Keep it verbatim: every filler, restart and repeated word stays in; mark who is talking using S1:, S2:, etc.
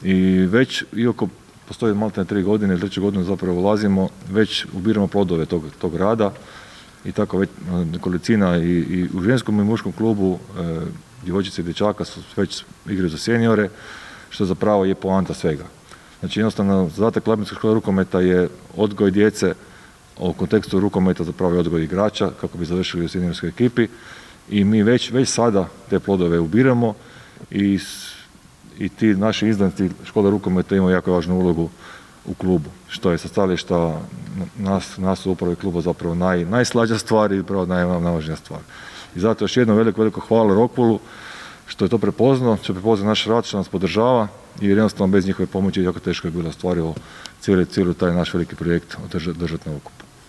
S1: I već, iako postoji maltene tri godine, treću godinu zapravo ulazimo, već ubiramo plodove tog, tog rada i tako već nekolicina i, i u ženskom i muškom klubu e, djevojčice i dječaka su već igraju za seniore, što zapravo je poanta svega. Znači jednostavno zadatak Labinske škole rukometa je odgoj djece, u kontekstu rukometa zapravo je odgoj igrača kako bi završili u seniorskoj ekipi i mi već, već sada te plodove ubiramo i, i ti naši izdanci škole rukometa imaju jako važnu ulogu u klubu, što je sa stajališta nas, nas u upravi kluba zapravo naj, najslađa stvar i upravo naj, najvažnija stvar. I zato još jedno veliko, veliko hvala Rockwoolu što je to prepoznao, što je prepoznao naš rad, što nas podržava i jednostavno bez njihove pomoći jako teško je bilo ostvarivo cijeli, cijeli taj naš veliki projekt održati na okupu.